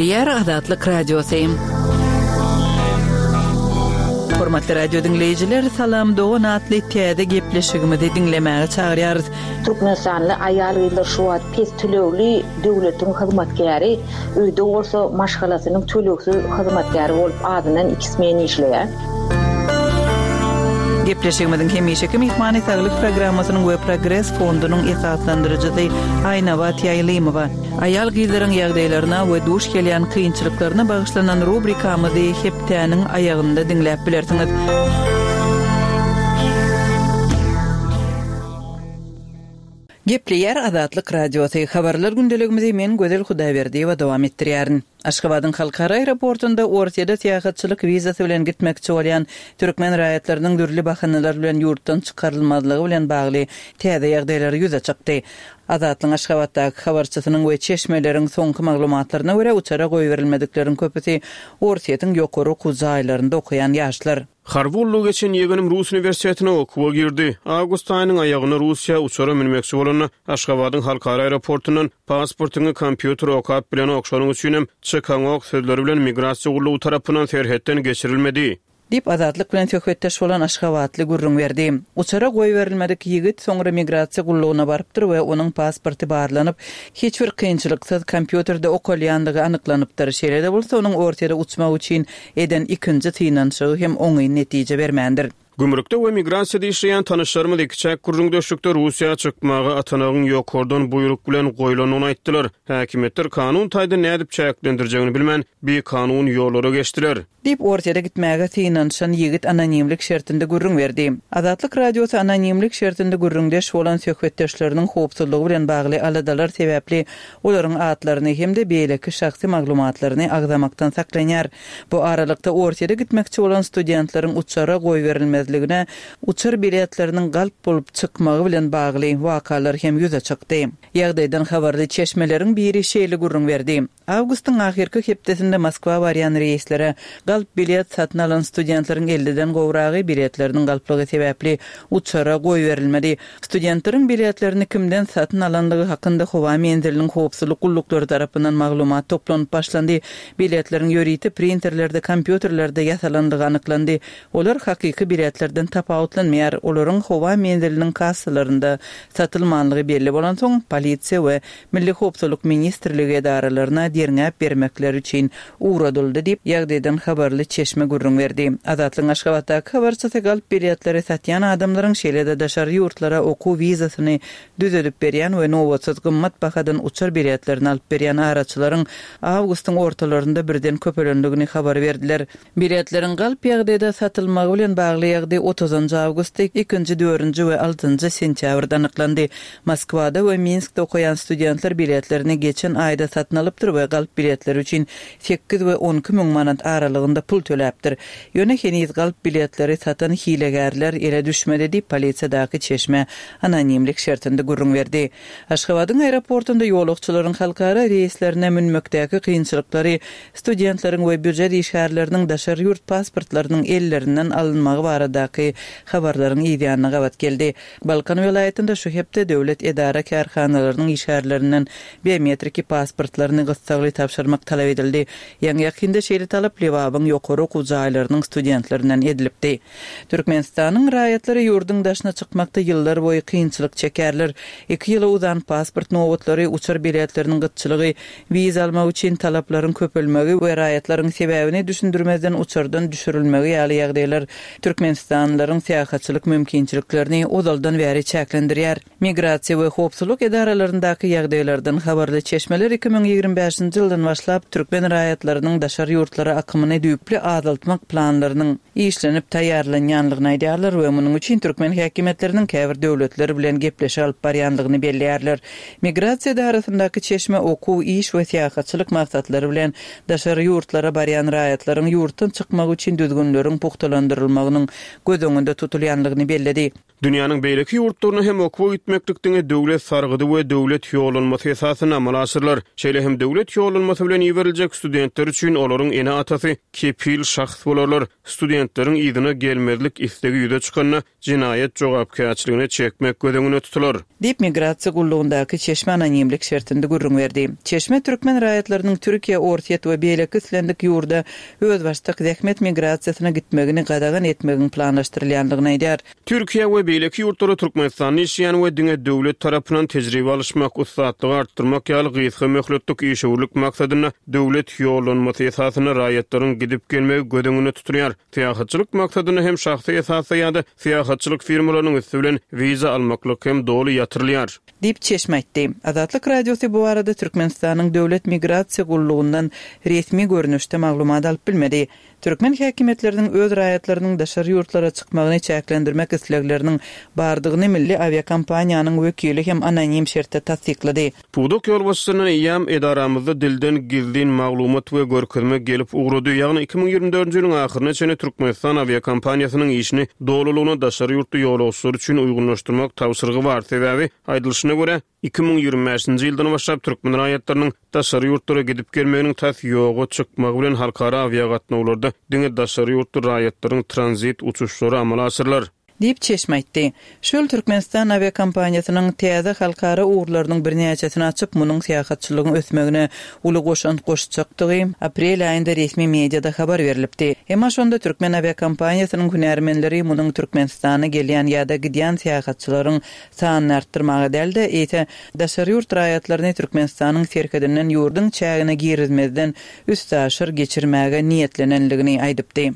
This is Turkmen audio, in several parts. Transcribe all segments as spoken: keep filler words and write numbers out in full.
Gepleýär Azatlyk Radiosy. Hormatly radio diňleýjiler, Salam dogan atly täze gepleşigimizi diňlemäge çagyrýarys. Türkmenistanly aýal-gyzlar şu wagt pes tölegli döwletiň hyzmatkäri, öýde bolsa maşgalasynyň tölegsiz hyzmatkäri bolup azyndan iki smen işleýär. Gepleşigimiziň hemişeki myhmany Saglyk programmasynyň we Progres fondunyň esaslandyryjysy Aýnabat Ýaýlymowa. Aýal-gyzlaryň ýagdaýlaryna we duş gelýän kynçylyklaryna bagyşlanan rubrikamyzy hepdäniň aýagynda diňläp bilersiňiz. Gepleýär Azatlyk Radiosy. Habarlar gündeligimizi men Gözel Hudaýberdiýewa dowam etdirýärin. Aşgabadyň halkara aeroportunda Orsýede syýahatçylyk wizasy bilen gitmekçi bolýan türkmen raýatlarynyň dürli bahanalar bilen ýurtdan çykarylmazlygy bilen bagly täze ýagdaýlar ýüze çykdy. Azatlygyň Aşgabatdaky habarçysynyň we çeşmeleriň soňky maglumatlaryna görä uçara goýberilmedikleriň köpüsi Orsýetiň ýokary okuw jaýlarynda okaýan ýaşlar. Harby gullugy geçen ýegenim Rus uniwersitetine okuwa girdi. Awgust aýynyň aýagyna Russiýa uçara münmekçi bolanda Aşgabadyň halkara aeroportundan pasportyňy kompýuter okap bilenok, şonuň üçinem çykaňok sözleri bilen migrasiýa gullugy tarapyndan serhetden geçirilmedi. Diýip Azatlyk bilen söhbetdeş bolan Aşgabatly gürrüň berdi. Uçara goýberilmedik ýigit soňra migrasiýa gullugyna barypdyr we onuň pasporty barlanyp, hiç bir kynçylyksyz kompýuterde okalýandygy anyklanypdyr. Şeýle-de bolsa onuň Orsýete uçmak üçin eden ikinji synanyşygy hem oňyn netije bermändir. Gümrükde we migrasiýada işleýän tanyşlarymyz ikiçäk gürrüňdeşlikde Russiýa çykmaga atanagyň ýokardan buýruk bilen goýlandygyny aýtdylar. Häkimiýetler kanun taýdan nädip çäklendirjegini bilmän, bikanun ýollara geçdiler. Diýip Orsýete gitmäge synanyşan ýigit anonimlik şertinde gürrüň berdi. Azatlyk Radiosy anonimlik şertinde gürrüňdeş bolan söhbetdeşleriniň howpsuzlygy bilen bagly aladalar sebäpli olaryň atlaryny hem-de beýleki şahsy maglumatlaryny agzamakdan saklanýar. Bu aralykda Orsýete gitmekçi bolan studentleriň uçara goýberilmezligine uçar biletleriniň galp bolup çykmagy bilen bagly wakalar hem ýüze çykdy. Ýagdaýdan habarly çeşmeleriň biri şeýle gürrüň berdi. Awgustyň ahyrky hepdesinde Moskwa barýan reýslere galp bilet satyn alan studentleriň elliden gowragy biletleriniň galplygy sebäpli uçara goýberilmedi. Studentleriň biletlerini kimden satyn alandygy hakynda howa menziliniň howpsuzlyk gulluklary tarapyndan maglumat toplanyp başlandy. Biletleriň ýörite printerlerde, kompýuterlerde ýasalandygy anyklandy. Olar hakyky biletlerden tapawutlanmaýar. Olaryň howa menziliniň kassalarynda satylmanlygy belli bolansoň, polisiýa we Milli howpsuzlyk ministrligi edaralaryna derňäp bermekleri üçin ugradyldy diýip, ýagdaýdan habarly çeşme gürrüň berdi. Azatlygyň Aşgabatdaky habarçysy galp biletleri satýan adamlaryň şeýle-de daşary ýurtlara okuw wizasyny düzedip berýän we nobatsyz gymmat bahadan uçar biletlerini alyp berýän araçylaryň awgustyň ortalarynda birden köpelendigini habar berdiler. Biletleriň galp ýagdaýda satylmagy bilen bagly ýagdaý otuzynjy awgustda, ikinji, dördünji we altynjy sentýabrda anyklandy. Moskwada we Minskde okaýan studentler biletlerini geçen aýda satyn alypdyr we galp biletleri üçin sekiz we on iki müň manat aralygynda pul töläpdir. Ýöne heniz galp biletleri satan hilegärler ele düşmedi diýip polisiýadaky çeşme anonimlik şertinde gürrüň berdi. Aşgabadyň aeroportunda ýolagçylaryň halkara reýslerine münmekdäki kynçylyklary studentleriň we býujet işgärleriniň daşary ýurt pasportlarynyň ellerinden alynmagy baradaky habarlaryň ýanyna gabat geldi. Balkan welaýatynda şu hepde döwlet edara kärhanalarynyň işgärlerinden biometriki pasportlaryny gyssagly tabşyrmak talap edildi. Ýaňy ýakynda şeýle talap Lebabyň ýokary okuw jaýlarynyň studentlerinden edilipdi. Türkmenistanyň raýatlary ýurduň daşyna çykmakda ýyllar boýy kynçylyk çekerler. Iki ýyla uzan pasport nobatlary, uçar biletleriniň gytçylygy, wiza almak üçin talaplaryň köpelmegi we raýatlaryň sebäbini düşündirmezden uçardan düşürilmegi ýaly ýagdaýlar Türkmenistanlylaryň syýahatçylyk mümkinçiliklerini ozaldan bäri çäklendirýär. Migrasiýa we howpsuzlyk edaralaryndaky ýagdaýlardan habarly çeşmeler iki müň ýigrimi bäşinji ýyldan başlap türkmen raýatlarynyň daşary ýurtlara akymyny düýpli azaltmak planlarynyň işlenip taýýarlanýanlygyny aýdýarlar we munuň üçin türkmen häkimiýetleriniň käbir döwletler bilen gepleşik alyp barýanlygyny belleýärler. Migrasiýa edarasyndaky çeşme okuw, iş we syýahatçylyk maksatlary bilen daşary ýurtlara barýan raýatlaryň ýurtdan çykmagy üçin düzgünleriň pugtalandyrylmagynyň göz öňünde tutulýanlygyny belledi. Dünýäniň beýleki ýurtlaryna hem okuwa gitmeklik diňe döwlet sargydy we döwlet ýollanmasy esasynda amala aşyrylar. Şeýle hem döwlet Döwlet ýollanmasy bilen iberiljek studentler üçin olaryň ene-atasy kepil şahs bolarlar. Studentleriň yzyna gelmezlik islegi ýüze çykanda jenaýat jogapkärçiligine çekmek göz öňünde tutular. Diýip, Migrasiýa gullugyndaky çeşme anonimlik şertinde gürrüň berdi. Çeşme türkmen raýatlarynyň Türkiýe, Orsýet we beýleki islendik ýurda özbaşdak zähmet migrasiýasyna gitmegini gadagan etmegiň planlaşdyrylýandygyny aýdýar. Türkiýe we beýleki ýurtlara Türkmenistanda işleýän we diňe döwlet tarapyndan tejribe alyşmak, ussatlygy artdyrmak ýaly gysga möhletlik işewürlik maksadynda döwlet ýollanmasy esasynda raýatlaryň gidip gelmegi göz öňünde tutulýar. Syýahatçylyk maksadynda hem şahsy esasda ýa-da syýahatçylyk firmalarynyň üsti bilen wiza almaklyk hem doly ýatyrylýar. Diýip, çeşme aýtdy. Azatlyk Radiosy bu barada Türkmenistanyň Döwlet migrasiýa gullugyndan resmi görnüşde maglumat alyp bilmedi. Türkmen häkimiýetleriniň öz raýatlarynyň daşary ýurtlara çykmagyny çäklendirmek islegleriniň bardygyny milli awiakompaniýanyň wekili hem anonim şertde tassyklady. Pudak ýolbaşçysyndan eýýäm edaramyzda dilden gizlin maglumat we görkezme gelip ugrady. Ýagny iki müň ýigrimi dördünji ýylyň ahyryna çenli Türkmenistan awiakompaniýasynyň işini dolulygyna daşary ýurtly ýolagçylar üçin uýgunlaşdyrmak tabşyrygy bar. Sebäbi, aýdylyşyna görä, iki müň ýigrimi bäşinji ýyldan başlap türkmen raýatlarynyň daşary ýurtlara gidip gelmeginiň tas ýoga çykmagy bilen halkara awiagatnawlarda diňe daşary ýurtly raýatlaryň tranzit uçuşlary amala aşyrylar. Diýip, çeşme aýtdy. Şu ýyl Türkmenistan awiakompaniýasynyň täze halkara ugurlarynyň birnäçesini açyp, munuň syýahatçylygyň ösmegine uly goşant goşjakdygy aprel aýynda resmi mediada habar berlipdi. Emma şonda türkmen awiakompaniýasynyň hünärmenleri munuň Türkmenistana gelýän ýa-da gidýän syýahatçylaryň sanyny artdyrmaga däl-de, eýse daşary ýurt raýatlaryny Türkmenistanyň serhedinden ýurduň çägine girizmezden üstaşyr geçirmäge niýetlenenligini aýdypdy.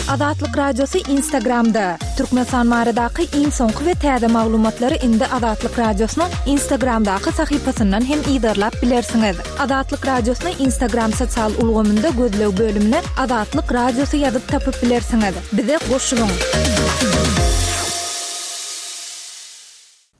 Azatlyk Radiosy Instagramda. Türkmenistan baradaky iň soňky we täze maglumatlary indi Azatlyk Radiosynyň Instagramdaky sahypasyndan hem yzarlap bilersiňiz. Azatlyk Radiosyny Instagram sosial ulgamynda gözleg bölümine Azatlyk Radiosy ýazyp tapyp bilersiňiz. Bize goşulyň.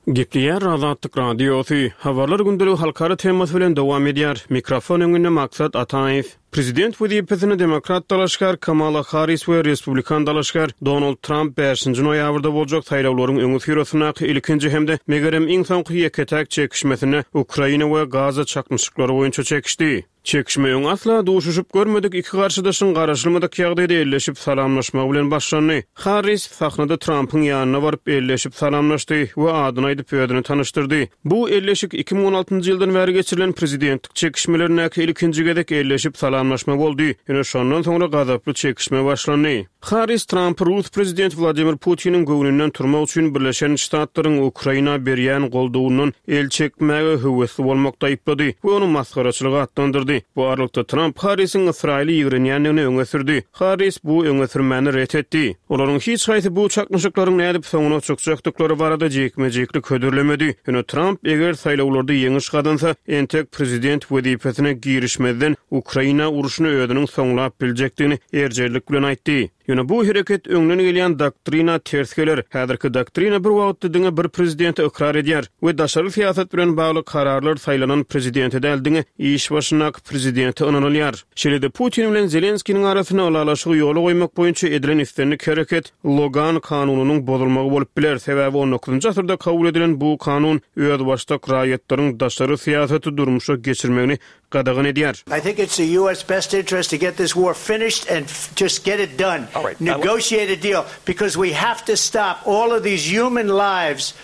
Gepleýär Azatlyk Radiosy. Habarlar gündeligi halkara temasy bilen dowam edýär. Mikrofon öňünde Maksat Ataýew. Prezident wezipesine demokrat dalaşgär Kamala Harris we respublikan dalaşgär Donald Tramp bäşinji noýabrda boljak saýlawlaryň öňüsyrasyndaky ilkinji hem-de megerem iň soňky ýeke-täk çekişmesinde Ukraina we Gaza çaknyşyklary boýunça çekişdi. Çekişme öň asla duşuşyp görmedik iki garşydaşyň garaşylmadyk ýagdaýda elleşip salamlaşmagy bilen başlandy. Harris sahnada Trampyň ýanyna baryp elleşip salamlaşdy we adyny aýdyp özüni tanyşdyrdy. Bu elleşik iki müň on altynjy ýyldan bäri geçirilen prezidentlik çekişmelerindäki ilkinji gezek elleşip salamlaşma boldy. Ýöne şondan soňra gazaply çekişme başlandy. Harris Trampy Rus prezidenti Wladimir Putiniň göwnünden turmak üçin Birleşen Ştatlaryň Ukraina berýän goldawyndan el çekmäge höwesli bolmakda aýyplady we ony masgaraçylyga atlandyrdy. Bu aralykda Tramp Harrisiň Ysraýyly ýigrenýändigini öňe sürdi. Harris bu öňe sürmäni ret etdi. Olaryň hiç haýsy bu çaknyşyklaryň nädip soňuna çykjakdyklary barada jikme-jiklik hödürlemedi. Ýöne Tramp eger saýlawlarda ýeňiş gazansa, entek prezident wezipesine girişmezden Ukraina urşuny özüniň soňlap biljekdigini erjellik bilen aýtdy. Ýöne bu hereket öňden gelýän doktrina ters geler. Häzirki doktrina bir wagtda diňe bir prezidenti ykrar edýär we daşary syýasat bilen bagly kararlar saýlanan prezidente däl, diňe iş başyndaky prezidente ynanylýar. Şeýle-de Putin bilen Zelenskiniň arasynda ylalaşygy ýola goýmak boýunça edilen islendik hereket Logan kanunynyň bozulmagy bolup biler. Sebäbi on dokuzynjy asyrda kabul edilen bu kanun özbaşdak raýatlaryň daşary syýasaty durmuşa geçirmegini gadagan edýär. I think it's the U S best interest to get this war finished and just get it done. All right. Negotiate a deal because we have to stop all of these human lives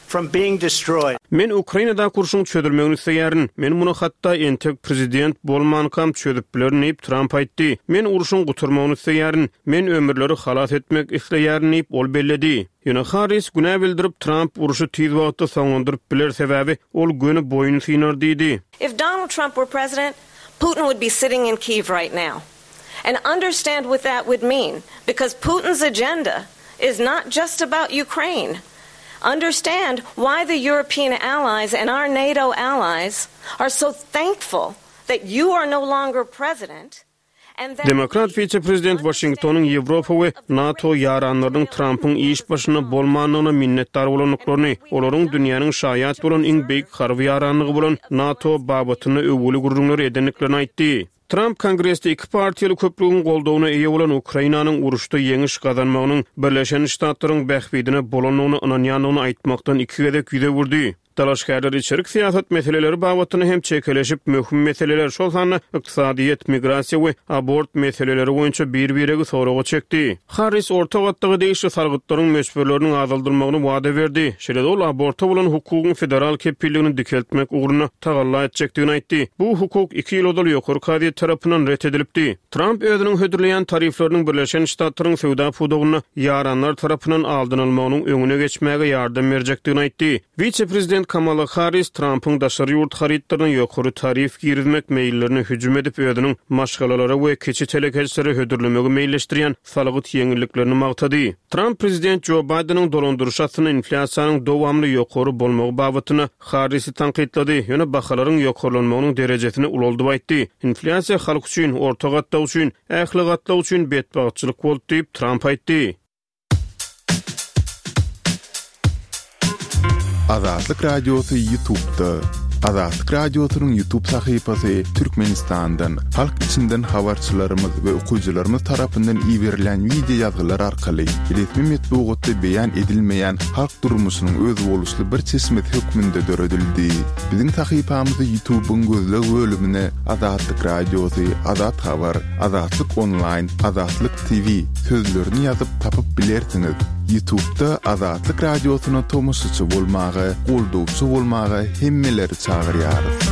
from being destroyed. Men Ukrainadaky urşuň çözülmegini isleýärin. Men muny hatda entek prezident bolmankam çözüp bilerin diýip Tramp aýtdy. Men urşuň gutarmagyny isleýärin. Men ömürleri halas etmek isleýärin diýip ol belledi. Ýöne Harris günä bildirip Tramp urşy tiz wagtda soňlandyryp biler sebäbi ol göni boýun synar diýdi. If Donald Trump were president, Putin would be sitting in Kyiv right now. And understand what that would mean, because Putin's agenda is not just about Ukraine. Understand why the European allies and our NATO allies are so thankful that you are no longer president. Demokrat wise-prezident Waşingtonyň Ýewropa we NATO ýaranlarynyň Trampyň iş başynda bolmandygyna minnetdar bolandyklaryny, olaryň dünýäniň şaýat bolan iň beýik harby ýaranlygy bolan NATO babatynda öwgüli gürrüňleri edendiklerini aýtdy. Tramp Kongresde iki partiýaly köplügiň goldawyna eýe bolan Ukrainanyň uruşda ýeňiş gazanmagynyň Birleşen Ştatlaryň bähbidine bolandygyna ynanýandygyny aýtmakdan iki gezek ýüz öwürdi. Dalaşgärler içerik syýasat meseleleri babatynda hem çekeleşip möhüm meseleler, şol sanda ykdysadyýet, migrasiýa we abort meseleleri boýunça bir-biregi soraga çekdi. Harris orta gatlaga degişli salgytlaryň möçberleriniň azaldylmagyny wada berdi. Şeýle-de ol aborta bolan hukugyň federal kepilligini dikeltmek ugrunda tagalla etjekdigini aýtdy. Bu hukuk iki ýyl ozal ýokary kazyýet tarapyndan ret edilipdi. Tramp özüniň hödürleýän tarifleriniň Birleşen Ştatlaryň söwda pudagynda ýaranlar tarapyndan aldynylmagynyň öňüne geçmäge ýardam berjekdigini aýtdy. Wise-prezident Kamala Harris Trampyň daşary ýurt harytlaryna ýokary tarif girizmek meýillerini hüjüm edip, özüniň maşgalalara we kiçi telekeçilere hödürlemegi meýilleşdirýän salgyt ýeňilliklerini magtady. Tramp prezident Jo Baýdeniň dolandyryş astynda inflýasiýanyň dowamly ýokary bolmagy babatynda Harrisi tankytlady, ýöne bahalaryň ýokarlanmagynyň derejesini ulaldyp aýtdy. Inflýasiýa halk üçin, orta gatlak üçin, ähli gatlak üçin betbagtçylyk boldy diýip Tramp aýtdy. Azatlyk Radiosy YouTube'da. Azatlyk Radiosynyň YouTube sahypasy Türkmenistandan, halk içinden habarçylarymyz we okyjylarymyz tarapyndan iberilen wideo ýazgylar arkaly resmi metbugatda beýan edilmeýän halk durmuşynyň özboluşly bir çeşmesi hökmünde döredildi. Biziň sahypamyzy YouTube'yň gözleg bölümine Azatlyk Radiosy, Azat Habar, Azatlyk Online, Azatlyk T V sözlerini ýazyp tapyp bilersiňiz. YouTube'da Azatlyk Radiosyna tomaşaçy bolmaga, goldawçy bolmaga hemmeleri çagyrýarys.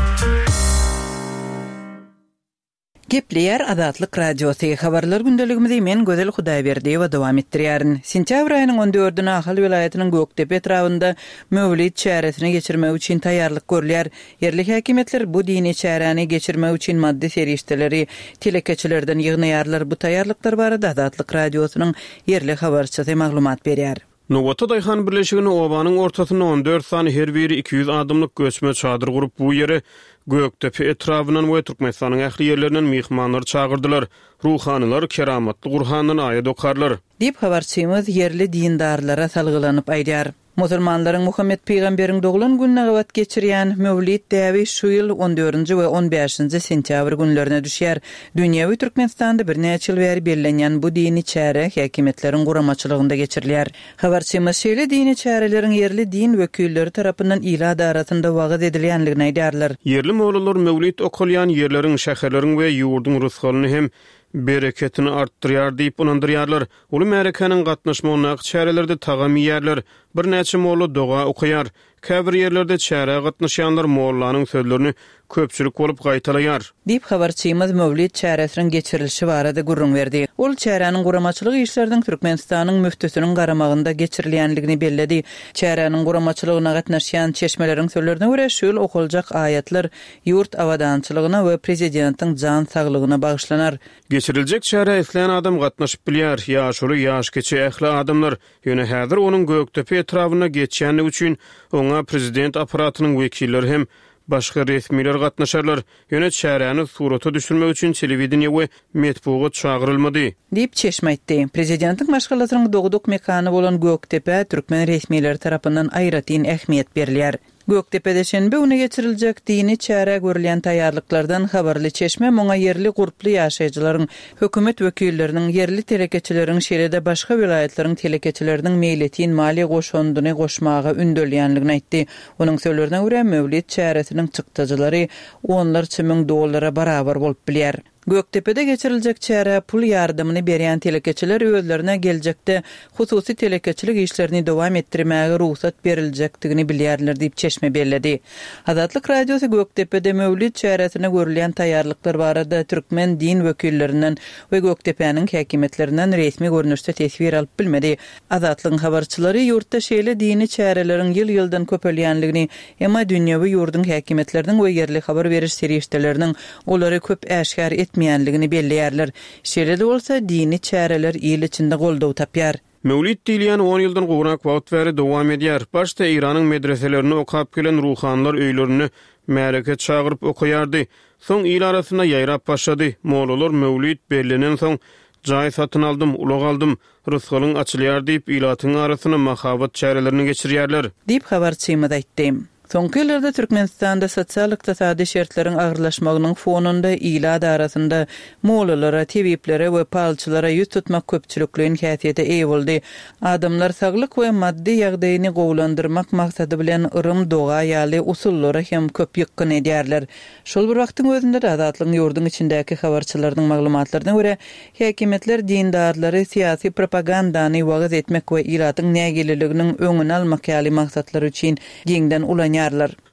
Gepleýär Azatlyk Radiosy. Habarlar gündeligimizi men Gözel Hudaýberdiýewa dowam etdirýärin. Sentýabr aýynyň on dördüne Ahal welaýatynyň Gökdepe etrabynda Mewlid çäresini geçirmek üçin taýýarlyk görülýär. Ýerli häkimiýetler bu dini çäräni geçirmek üçin maddy serişdeleri telekeçilerden ýygnaýarlar. Bu taýýarlyklar barada Azatlyk Radiosynyň ýerli habarçysy maglumat berýär. Nowata Daýhan birleşigini obanyň ortasynda on dört sany her biri iki ýüz adamlyk göçme çadyr gurup bu ýere Gökdepe etrabyndan we Türkmenistanyň ähli ýerlerinden myhmanlar çagyrdylar. Ruhanylar keramatly Gurhandan aýat okarlar. Diýip habarçymyz ýerli dindarlara salgylanyp aýdar. Musulmanlaryň Muhammed Peygamberiň doglan gününe gabat geçirýän Mewlid däbi şu ýyl on dördünji we on bäşinji sentýabr günlerine düşýär. Dünýewi Türkmenistanda birnäçe ýyl bäri bellenýän bu dini çäre häkimiýetleriň guramaçylygynda geçirilýär. Habarçymyz şeýle dini çäreleriň ýerli din wekilleri tarapyndan ilat arasynda wagyz edilýänligini aýdarlar. Ýerli mollalar Mewlid okalýan ýerleriň, şäherleriň we ýurduň rysgalyny hem bereketini artdyrýar diýip ynandyrýarlar. Uly märekäniň gatnaşmagyndaky çärelerde tagam iýerler. Birnäçe molla doga okaýar. Käbir ýerlerde çärä gatnaşýanlar mollanyň sözlerini köpçülik bolup gaýtalaýar. Diýip habarçymyz Mewlid çäresiniň geçirilişi barada gürrüň berdi. Ol çäräniň guramaçylyk işleriniň Türkmenistanyň müftüsiniň garamagynda geçirilýänligini belledi. Çäräniň guramaçylygyna gatnaşýan çeşmeleriň sözlerine görä şu ýyl okaljak aýatlar ýurt abadançylygyna we prezidentiň jan saglygyna bagyşlanar. Geçiriljek çärä islän adam gatnaşyp bilýär. Ýaşuly, ýaş kiçi ähli adamlar. Ýöne häzir onuň Gökdepe etrabynda geçýänligi üçin oňa prezident aparatynyň wekilleri hem başga resmiler gatnaşarlar. Ýöne çäräni surata düşürmek üçin telewideniýe we metbugat çagyrylmady. Diýip çeşme aýtdy. Prezidentiň maşgalasynyň dogduk mekany bolan Gökdepe türkmen resmileri tarapyndan aýratyn ähmiýet berilýär. Gökdepede şenbe güni geçiriljek dini çärä görülýän taýýarlyklardan habarly çeşme muňa ýerli gurply ýaşaýjylaryň, hökümet wekilleriniň, ýerli telekeçileriň, şeýle-de başga welaýatlaryň telekeçileriniň meýletin maliýe goşundyny goşmaga ündelýänligini aýtdy. Onuň sözlerine görä Mewlid çäresiniň çykdajylary onlarça müň dollara barabar bolup bilýär. Gökdepede geçiriljek çärä pul ýardamyny berýän telekeçiler özlerine geljekde hususy telekeçilik işlerini dowam etdirmäge rugsat beriljekdigini bilýärler diýip çeşme belledi. Azatlyk Radiosy Gökdepede Mewlid çäresine görülýän taýýarlyklar barada türkmen din wekillerinden we Gökdepäniň häkimiýetlerinden resmi görnüşde teswir alyp bilmedi. Azatlygyň habarçylary ýurtda şeýle dini çäreleriň ýyl-ýyldan köpelýänligini, emma dünýewi ýurduň häkimiýetleriniň we ýerli habar beriş serişdeleriniň olary köp äşgär etmeýänligini belleýärler. Şeýle-de bolsa dini çäreler ýyl içinde goldaw tapýar. Mewlid diýilýän on ýyldan gowrak wagt bäri dowam edýär. Başda Eýranyň medreselerini okap gelen ruhanylar öýlerinde märeke çagyryp okaýardy. Soň il arasynda ýaýrap başlady. Mollalar Mewlid bellenen soň jaý satyn aldym, ulag aldym, rysgalyň açylýar diýip ilatyň arasynda mahabat çärelerini geçirýärler. Diýip habarçymyz aýtdy. Soňky ýyllarda Türkmenistanda sosial-ykdysady şertleriň agyrlaşmagynyň fonunda ilat arasynda mollalara, tebiplere we palçylara ýüz tutmak köpçülikleýin häsiýete eýe boldy. Adamlar saglyk we maddy ýagdaýyny gowulandyrmak maksady bilen yrym, doga ýaly usullara hem köp ýykgyn edýärler. Şol bir wagtyň özünde-de Azatlygyň ýurduň içindäki habarçylarynyň maglumatlaryna görä, häkimiýetler dindarlary syýasy propagandany wagyz etmek we ilatyň nägileliginiň öňüni almak ýaly maksatlar üçin giňden ulanýarlar.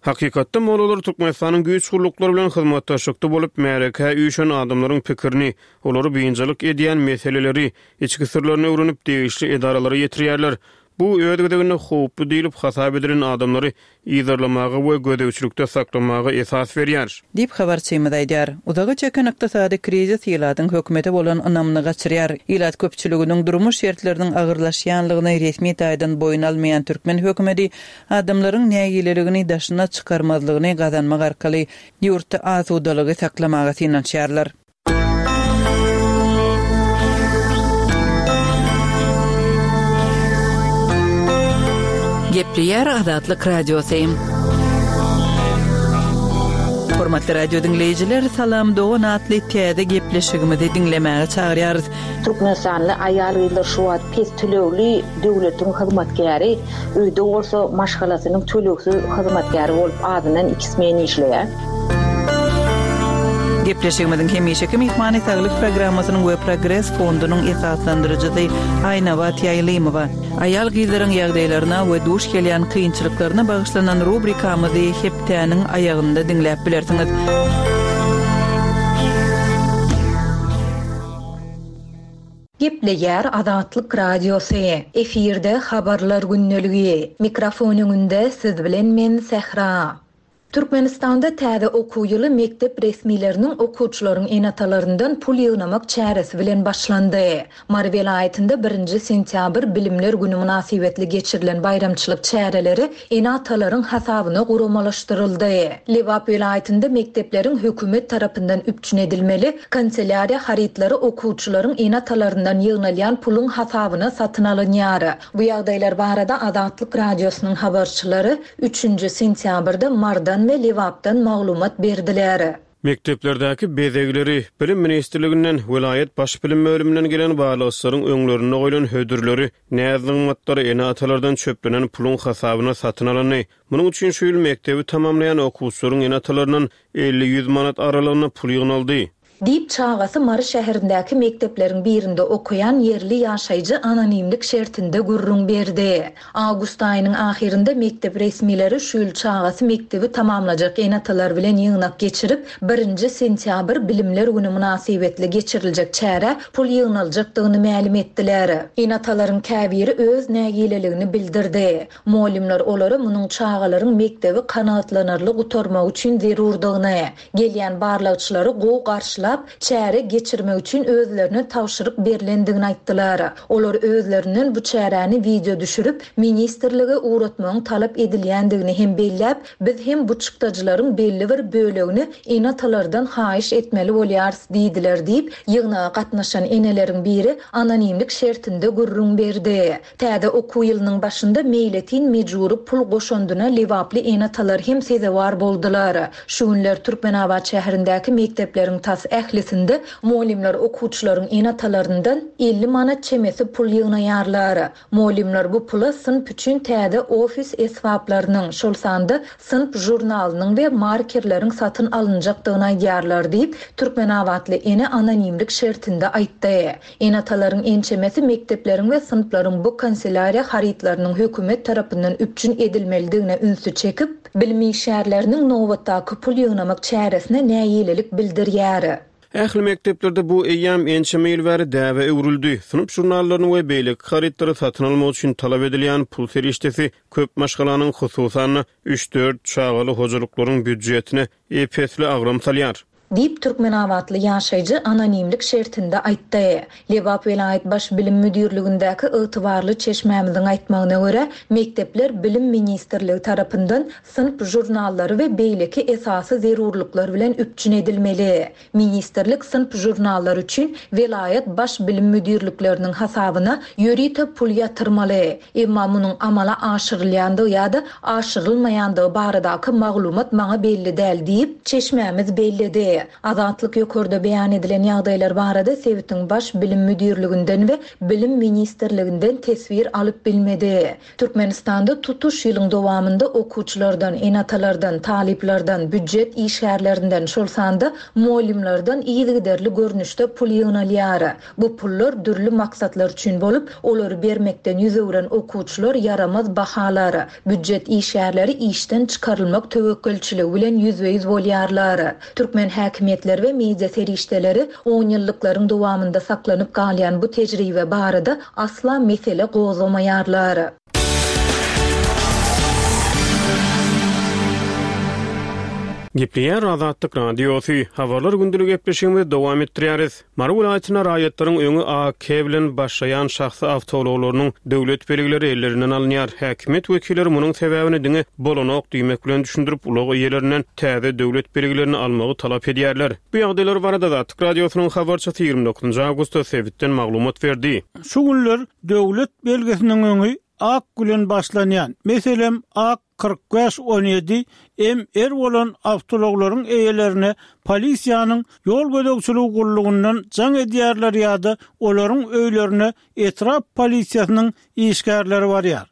Hakykatda mollalar Türkmenistanyň güýç gulluklary bilen hyzmatdaşlykda bolup, märekä üýşen adamlaryň pikirini, olary biynjalyk edýän meseleleri, içki syrlaryny öwrenip, degişli edaralara ýetirýärler. Bu öz gezeginde howply diýlip hasap edilen adamlary yzarlamaga we gözegçilikde saklamaga esas berýär. Diýip, habarçymyz aýdýar. Uzaga çeken ykdysady krizis ilatyň hökümete bolan ynamyny gaçyrýar. Ilat köpçüliginiň durmuş şertleriniň agyrlaşýanlygyny resmi taýdan boýun almaýan türkmen hökümeti adamlaryň nägileligini daşyna çykarmazlygyny gazanmak arkaly ýurtda asudalygy saklamaga synanyşýarlar. Gepleýär Azatlyk Radiosy. Hormatly radio diňleýjiler, Salam dogan atly täze gepleşigimizi diňlemäge çagyrýarys. Türkmenistanly aýal-gyzlar şu wagt pes tölegli döwletiň hyzmatkäri, öýde bolsa maşgalasynyň tölegsiz hyzmatkäri bolup azyndan iki smen işleýär. Gepleşigimiziň hemişeki myhmany Saglyk programmasynyň we Progres fondunyň esaslandyryjysy Aýnabat Ýaýlymowa. Aýal-gyzlaryň ýagdaýlaryna we duş gelýän kynçylyklaryna bagyşlanan rubrikamyzy hepdäniň aýagynda diňläp bilersiňiz. Gepleýär Azatlyk Radiosy. Efirde habarlar gündeligi. Mikrofon öňünde siz bilen men Sähra. Türkmenistanda täze okuw ýyly mekdep resmileriniň okuwçylaryň ene-atalaryndan pul ýygnamak çäresi bilen başlandy. Mary welaýatynda birinji sentýabr Bilimler günü mynasybetli geçirilen baýramçylyk çäreleri ene-atalaryň hasabyna guramalaşdyryldy. Lebap welaýatynda mekdepleriň hökümet tarapyndan üpjün edilmeli kanselýariýa harytlary okuwçylaryň ene-atalaryndan ýygnalýan puluň hasabyna satyn alynýar. Bu ýagdaýlar barada Azatlyk Radiosynyň habarçylary üçünji sentýabrda Mardan we Lebapdan maglumat berdiler. Mekdeplerdäki bezegleri Bilim Ministrliginden, welaýat baş bilim bölüminden gelen barlagçylaryň öňlerinde goýlan hödürleri, näz-nygmatlary ene-atalardan çöplenen puluň hasabyna satyn alyndy. Munuň üçin şu ýyl mekdebi tamamlaýan okuwçylaryň ene-atalaryndan elli-ýüz manat aralygynda pul ýygnaldy. Diýip çagasy Mary şäherindäki mekdepleriň birinde okaýan ýerli ýaşaýjy anonimlik şertinde gürrüň berdi. Awgust aýynyň ahyrynda mekdep resmileri şu ýyl çagasy mekdebi tamamlajak ene-atalar bilen ýygnak geçirip, birinji sentýabr Bilimler günü mynasybetli geçiriljek çäre pul ýygnaljakdygyny mälim etdiler. Ene-atalaryň käbiri öz nägileligini bildirdi. Mugallymlar olara munuň çagalaryň mekdebi kanagatlanarly gutarmak üçin zerurdygyny, gelýän barlagçylary gowy garşylap, çäre geçirmek üçin özlerine tabşyryk berlendigini aýtdylar. Olar özlerinden bu çäräni video düşürip, ministrlige uğratmagyň talap edilýändigini hem belläp, biz hem bu çykdajylaryň belli bir bölegini ene-atalardan haýyş etmeli bolýarys diýdiler diýip, ýygnaga gatnaşan eneleriň biri anonimlik şertinde gürrüň berdi. Täze okuw ýylynyň başynda meýletin mejbury pul goşundyna Lebaply ene-atalar hem sezewar boldular. Şu günler Türkmenabat şäherindäki mekdepleriň tas ählisinde mugallymlar okuwçylaryň ene-atalaryndan elli manat çemesi pul ýygnaýarlar. Mugallymlar bu pula synp üçin täze ofis esbaplarynyň, şol sanda synp jurnalynyň we markerleriň satyn alynjakdygyny aýdýarlar diýip, Türkmenabatly ene anonimlik şertinde aýtdy. Ene-atalaryň ençemesi mekdepleriň we synplaryň bu kanselýariýa harytlarynyň hökümet tarapyndan üpjün edilmelidigine ünsi çekip, bilim işgärleriniň nobatdaky pul ýygnamak çäresine nägilelik bildirýär. Ähli mekdeplerde bu eýýäm ençeme ýyl bäri däbe öwrüldi. Synp jurnallaryny we beýleki harytlary satyn almak üçin talap edilýän pul serişdesi köp maşgalanyň hususan üç-dört çagaly hojalyklaryň býudjetine ep-esli agram salýar. Diýip, türkmenabatly ýaşaýjy anonimlik şertinde aýtdy. Lebap welaýat Baş bilim müdirligindäki ygtybarly çeşmämiziň aýtmagyna görä, mekdepler Bilim ministrligi tarapyndan synp žurnallary we beýleki esasy zerurlyklar bilen üpjün edilmeli. Ministrlik synp žurnallary üçin welaýat Baş bilim müdirlikleriniň hasabyna ýörite pul ýatyrmaly. Emma munuň amala aşyrylýandygy ýa-da aşyrylmaýandygy baradaky maglumat maňa belli däl diýip, çeşmämiz belledi. Azatlyk ýokarda beýan edilen ýagdaýlar barada sebitiň Baş bilim müdirliginden we Bilim ministrliginden teswir alyp bilmedi. Türkmenistanda tutuş ýylyň dowamynda okuwçylardan, ene-atalardan, talyplardan, býujet işgärlerinden, şol sanda mugallymlardan yzygiderli görnüşde pul ýygnalýar. Bu pullar dürli maksatlar üçin bolup, olary bermekden ýüz öwren okuwçylar ýaramaz bahalar, býujet işgärleri işden çykarylmak töwekgelçiligi bilen ýüzbe-ýüz bolýarlar. Türkmen häkimiýetleri we media serişdeleri on ýyllyklaryň dowamynda saklanyp galýan bu tejribe barada asla mesele gozgamaýarlar. Gepleýär Azatlyk Radiosy. Habarlar gündelik gepleşigimizi dowam etdirýäris. Mary welaýatynda raýatlaryň öňi A K bilen başlaýan şahsy awtoulaglarynyň döwlet belgileri ellerinden alynýar. Häkimiýet wekilleri munuň sebäbini diňe bolanok diýmek bilen düşündirip, ulag eýelerinden täze döwlet belgilerini almagy talap edýärler. Bu ýagdaýlar barada Azatlyk Radiosynyň habarçysy ýigrimi dokuzynjy awgustda sebitden maglumat berdi. Şu günler döwlet belgisiniň öňi ak bilen başlanýan, meselem A kyrk bäş on ýedi M R bolan awtoulaglaryň eýelerine polisiýanyň ýol gözegçiligi gullugyndan jaň edýärler ýa-da olaryň öýlerine etrap polisiýasynyň işgärleri barýar.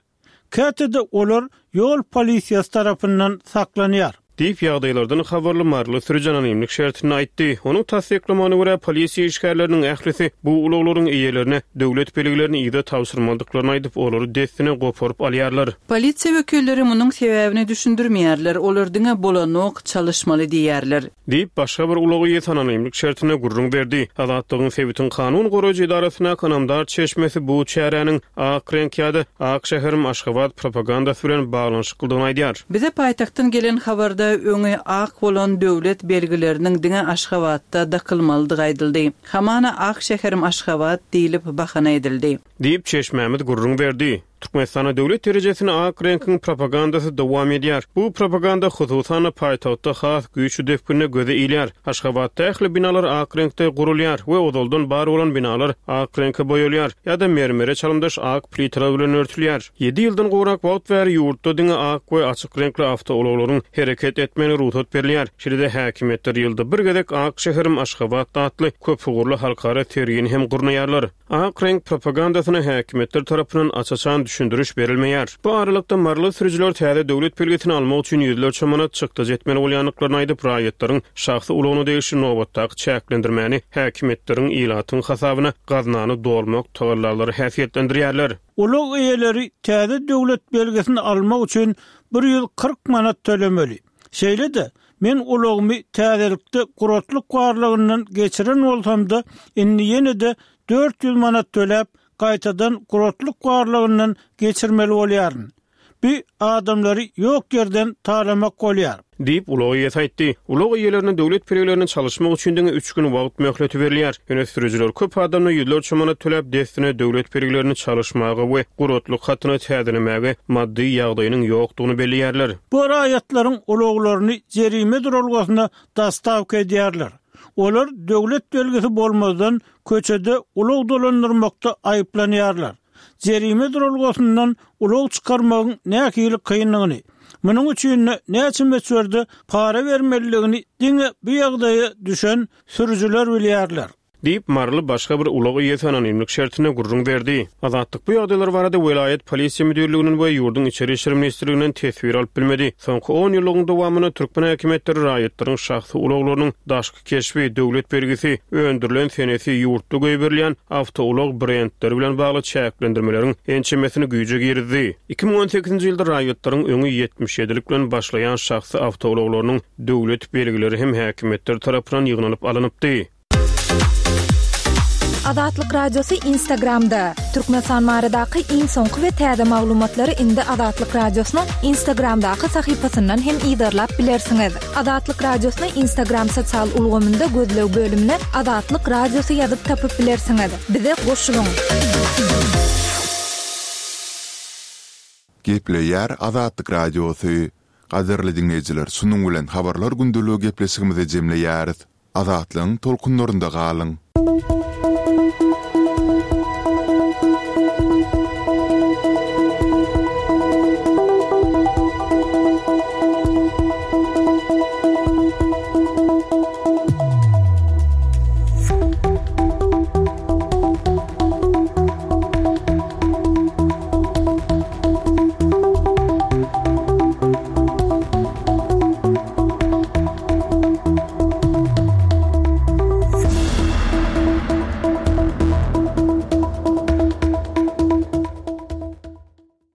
Käte-de olar ýol polisiýasy tarapyndan saklanýar. Diýip ýagdaýlardan habarly Maryly sürüji anonimlik şertinde aýtdy. Onuň tassyklamagyna görä polisiýa işgärleriniň ählisi bu ulaglaryň eýelerine döwlet belgilerini ýa tabşyrmadyklaryny aýdyp, olary dessine goparyp alýarlar. Polisiýa wekilleri munuň sebäbini düşündirmeýärler. Olar diňe bolanok çalyşmaly diýýärler. Diýip başga bir ulagy ýa anonimlik şertinde gürrüň berdi. Azatlygyň sebitiň kanun goraýjy edarasyna kanamdar çeşmesi bu çäräniň ak reňk ýa-da ak şäherim Aşgabat propagandasy bilen baglanyşyklydygyny aýdýar. Bize paýtagtdan gelen habarda öňi ak bolan döwlet belgileriniň diňe Aşgabatda dakylmalydygy aýdyldy. Hamana ak şäherim Aşgabat diýlip bahana edildi. Diýip çeşmämiz gürrüň berdi. Türkmenistanda döwlet derejesini ak reňkiň propagandasy dowam edýär. Bu propaganda hususan paýtagtda has güýçli depginde göze ilýär. Aşgabatda ähli binalar ak reňkde gurulýar we ozaldan bar bolan binalar ak reňke boýalýar ýa-da mermere çalymdaş ak plitalar bilen örtülýär. Ýedi ýyldan gowrak wagt bäri ýurtda diňe ak we açyk reňkli awtoulaglaryň hereket etmegine rugsat berilýär. Şeýle-de häkimiýetler ýylda bir gezek ak şäherim Aşgabat atly köpugurly halkara sergini hem gurnaýarlar. Ak reňk propagandasyna häkimiýetler tarapyndan aç-açan düşündiriş berilmeýär. Bu aralykda maryly sürüjiler täze döwlet belgisini almak üçin ýüzlerçe manat çykdajy etmeli bolýandyklaryny aýdyp, raýatlaryň şahsy ulagyna degişli nobatdaky çäklendirmäni häkimiýetleriň ilatyň hasabyna gaznany dolmak tagallalary häsiýetlendirýärler. Ulag eýeleri täze döwlet belgisini almak üçin bir ýüz kyrk manat tölemeli. Şeýle-de men ulagymy täzelikde guratlyk barlygyndan geçiren bolsam-da, indi ýene-de dört ýüz manat töläp, gaýtadan guratlyk barlygyndan geçirmeli bolýaryn. Bu adamlary ýok ýerden talamak bolýar. Diýip ulag eýesi aýtdy. Ulag eýelerine döwlet belgilerini çalyşmak üçin diňe üç gün wagt möhleti berilýär. Ýöne sürüjiler köp adamla ýüzlerçe manat töläp dessine döwlet belgilerini çalyşmaga we guratlyk hatyny täzelemäge maddy ýagdaýynyň ýokdugyny belleýärler. Bu raýatlaryň ulaglaryny jerime duralgasyna dastavka edýärler. Olar döwlet belgisi bolmazdan köçede ulag dolandyrmakda aýyplanýarlar. Jerime duralgasyndan ulag çykarmagyň nähili kynlygyny, munuň üçin näçe möçberde para bermelidigini diňe bu ýagdaýa düşen sürüjiler bilýärler. Diýip Maryly başga bir ulag eýesi anonimlik şertinde gürrüň berdi. Azatlyk bu ýagdaýlar barada welaýat polisiýa müdirliginiň we ýurduň içeri işler ministrliginden teswir alyp bilmedi. Soňky on ýyllygyň dowamynda türkmen häkimiýetleri raýatlaryň şahsy ulaglarynyň daşky keşbi, döwlet belgisi, öndürilen senesi, ýurtda goýberilýän awtoulag brendleri bilen bagly çäklendirmeleriň ençemesini güýje girizdi. Iki müň on sekizinji ýylda raýatlaryň öňi ýetmiş ýedilik bilen başlaýan şahsy awtoulaglarynyň döwlet belgileri hem häkimiýetler tarapyndan ýygnalyp alynypdy. Azatlyk Radiosy Instagramda, Türkmenistan baradaky iň soňky we täze maglumatlary indi Azatlyk Radiosynyň Instagramdaky sahypasyndan hem yzarlap bilersiňiz. Azatlyk Radiosyny Instagram sosial ulgamynda gözleg bölümine Azatlyk Radiosy ýazyp tapyp bilersiňiz. Bize goşulyň! Gepleýär Azatlyk Radiosy. Gadyrly diňleýjiler, şunuň bilen Habarlar gündeligi gepleşigimizi jemleýäris. Azatlygyň tolkunlarynda galyň!